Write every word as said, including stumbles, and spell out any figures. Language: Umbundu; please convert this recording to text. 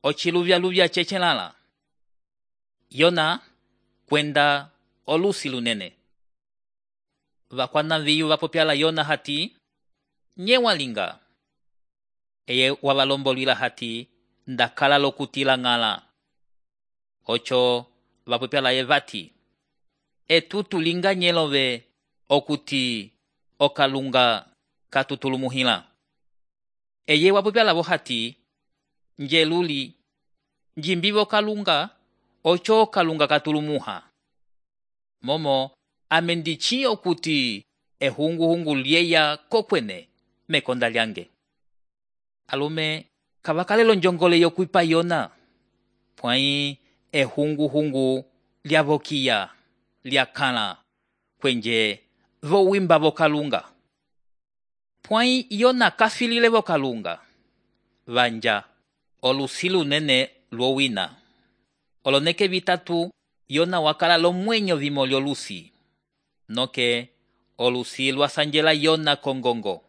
ochiluvya-luvya chechelala. Yona kwenda olusi lunene. Vakwana viyu vapopyala Yona hati, nye walinga. Eye wavalombolwila hati, ndakala lokutila ngala. Ocho vapopyala ye vati, etutu linga nyelove okuti okalunga katutulumuhila. Eye wapopyala vo hati, njeluli, njimbivo kalunga, ocho kalunga katulumuha. Momo amendichi okuti ehungu-hungu lieya kokwene mekonda lyange. Alume kavakalelo njongole yokwipa Yona. Pwai ehungu-hungu lyavokia, lyakala, kwenje vo wimba vo kalunga. Pwai Yona kafilile vo kalunga. Vanja, olusilu nene luowina. Oloneke vitatu, Yona wakala lo mwenyo vimo lyolusi. Noke, olusi lwasanjela Yona kongongo.